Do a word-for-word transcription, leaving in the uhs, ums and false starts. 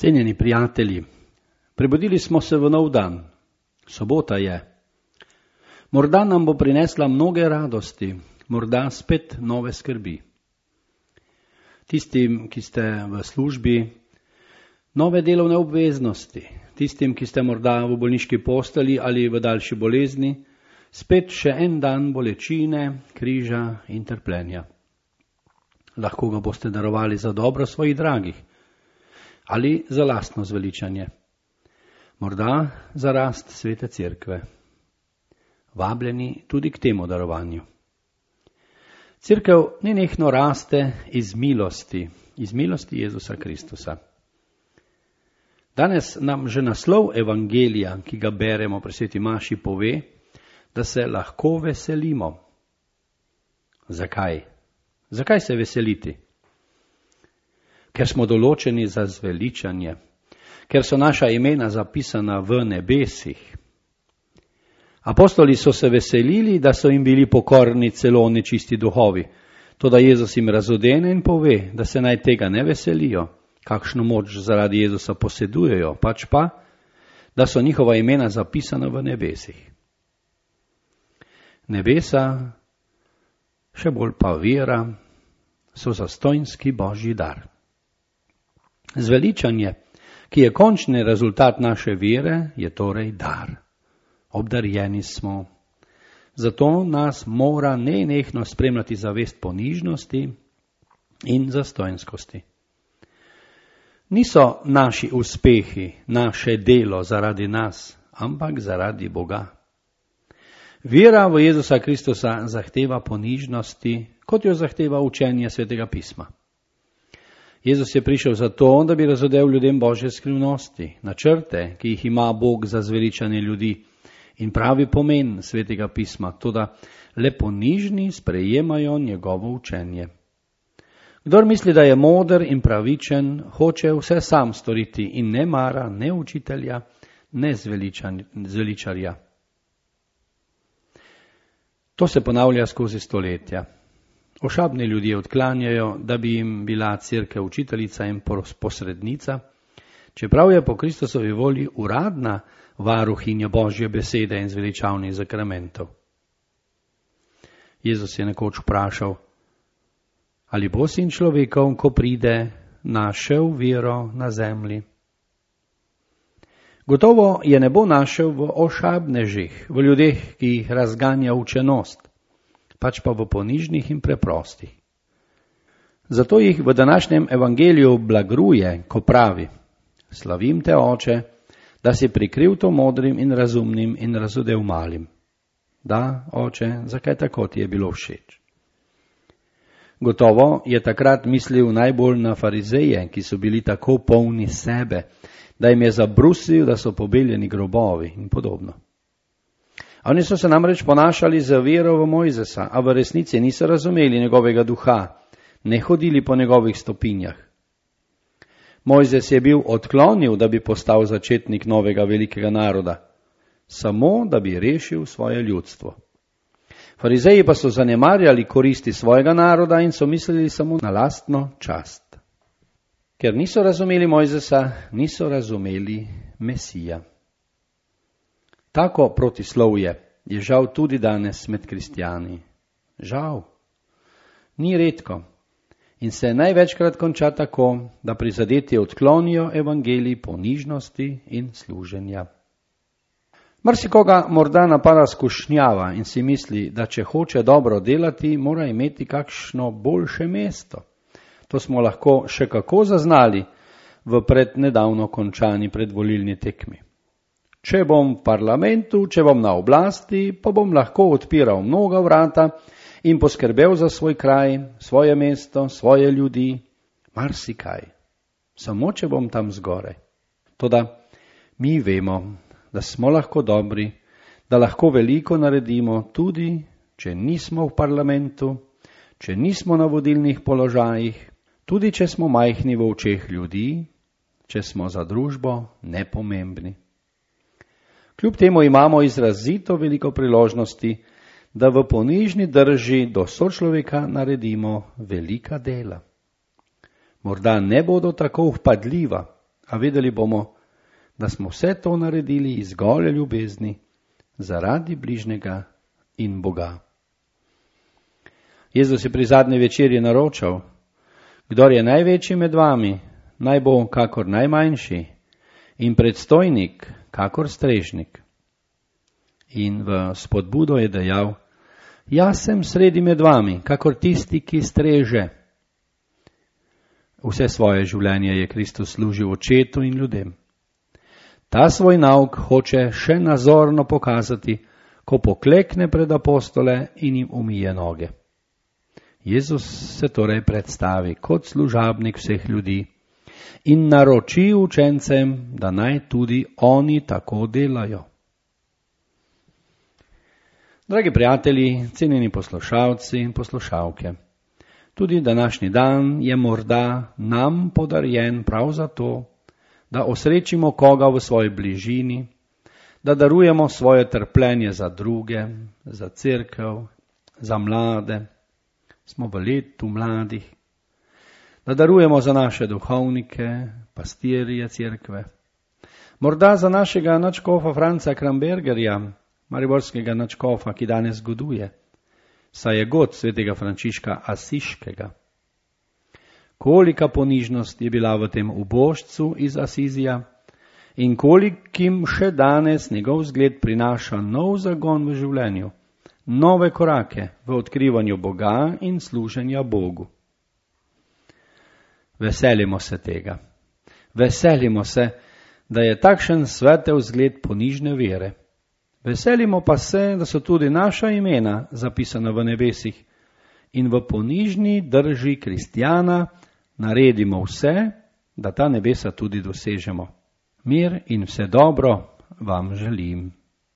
Cenjeni prijatelji, prebudili smo se v nov dan. Sobota je. Morda nam bo prinesla mnoge radosti, morda spet nove skrbi. Tistim, ki ste v službi, nove delovne obveznosti. Tistim, ki ste morda v bolniški posteli ali v daljši bolezni, spet še en dan bolečine, križa in trpljenja. Lahko ga boste darovali za dobro svojih dragih ali za lastno zveličanje. Morda za rast svete cerkve. Vabljeni tudi k temu darovanju. Cerkev nenehno raste iz milosti, iz milosti Jezusa Kristusa. Danes nam že naslov evangelija, ki ga beremo pri sveti maši, pove, da se lahko veselimo. Zakaj? Zakaj se veseliti? Ker smo določeni za zveličanje, ker so naša imena zapisana v nebesih. Apostoli so se veselili, da so jim bili pokorni celo nečisti duhovi. Toda Jezus jim razodene in pove, da se naj tega ne veselijo, kakšno moč zaradi Jezusa posedujejo, pač pa, da so njihova imena zapisana v nebesih. Nebesa, še bolj pa vera, so zastonjski božji dar. Zveličanje, ki je končni rezultat naše vere, je torej dar. Obdarjeni smo. Zato nas mora nenehno spremljati zavest ponižnosti in zastonjskosti. Niso naši uspehi, naše delo zaradi nas, ampak zaradi Boga. Vera v Jezusa Kristusa zahteva ponižnosti, kot jo zahteva učenje Svetega pisma. Jezus je prišel zato, da bi razodel ljudem Božje skrivnosti, načrte, ki jih ima Bog za zveličanje ljudi in pravi pomen Svetega pisma, toda le ponižni sprejemajo njegovo učenje. Kdor misli, da je moder in pravičen, hoče vse sam storiti in ne mara ne učitelja, ne zveličarja. To se ponavlja skozi stoletja. Ošabni ljudje odklanjajo, da bi jim bila cerkev učiteljica in posrednica, čeprav je po Kristusovi volji uradna varuhinja Božje besede in zveličavnih zakramentov. Jezus je nekoč vprašal, ali bo sin človekov, ko pride, našel vero na zemlji? Gotovo je ne bo našel v ošabnežih, v ljudeh, ki jih razganja učenost, pač pa v ponižnih in preprostih. Zato jih v današnjem evangeliju blagruje, ko pravi, slavim te, Oče, da si prikril to modrim in razumnim in razodel malim. Da, Oče, zakaj tako ti je bilo všeč? Gotovo je takrat mislil najbolj na farizeje, ki so bili tako polni sebe, da jim je zabrusil, da so pobeljeni grobovi in podobno. Oni so se namreč ponašali za vero v Mojzesa, a v resnici niso razumeli njegovega duha, ne hodili po njegovih stopinjah. Mojzes je bil odklonil, da bi postal začetnik novega velikega naroda, samo da bi rešil svoje ljudstvo. Farizeji pa so zanemarjali koristi svojega naroda in so mislili samo na lastno čast. Ker niso razumeli Mojzesa, niso razumeli Mesija. Tako protislovje je žal tudi danes med kristjani. Žal. Ni redko. In se največkrat konča tako, da prizadeti odklonijo evangelij ponižnosti in služenja. Marsikoga morda napada skušnjava in si misli, da če hoče dobro delati, mora imeti kakšno boljše mesto. To smo lahko še kako zaznali v prednedavno končani predvolilni tekmi. Če bom v parlamentu, če bom na oblasti, pa bom lahko odpiral mnoga vrata in poskrbel za svoj kraj, svoje mesto, svoje ljudi, marsikaj. Samo če bom tam zgoraj. Toda mi vemo, da smo lahko dobri, da lahko veliko naredimo tudi, če nismo v parlamentu, če nismo na vodilnih položajih, tudi če smo majhni v očeh ljudi, če smo za družbo nepomembni. Kljub temu imamo izrazito veliko priložnosti, da v ponižni drži do sočloveka naredimo velika dela. Morda ne bodo tako vpadljiva, a vedeli bomo, da smo vse to naredili iz gole ljubezni zaradi bližnjega in Boga. Jezus je pri zadnji večerji naročal: kdor je največji med vami, naj bo kakor najmanjši in predstojnik kakor strežnik. In v spodbudo je dejal: jaz sem sredi med vami, kakor tisti, ki streže. Vse svoje življenje je Kristus služil očetu in ljudem. Ta svoj nauk hoče še nazorno pokazati, ko poklekne pred apostole in jim umije noge. Jezus se torej predstavi kot služabnik vseh ljudi in naroči učencem, da naj tudi oni tako delajo. Dragi prijatelji, cenjeni poslušalci in poslušalke, tudi današnji dan je morda nam podarjen prav zato, da osrečimo koga v svoji bližini, da darujemo svoje trpljenje za druge, za cerkev, za mlade, smo v letu mladih, da darujemo za naše duhovnike, pastirje cerkve, morda za našega nadškofa Franca Krambergerja, mariborskega nadškofa, ki danes goduje, saj je god svetega Frančiška Asiškega. Kolika ponižnost je bila v tem ubožcu iz Asizija in kolikim še danes njegov zgled prinaša nov zagon v življenju, nove korake v odkrivanju Boga in služenja Bogu. Veselimo se tega. Veselimo se, da je takšen svetel zgled ponižne vere. Veselimo pa se, da so tudi naša imena zapisana v nebesih in v ponižni drži kristjana naredimo vse, da ta nebesa tudi dosežemo. Mir in vse dobro vam želim.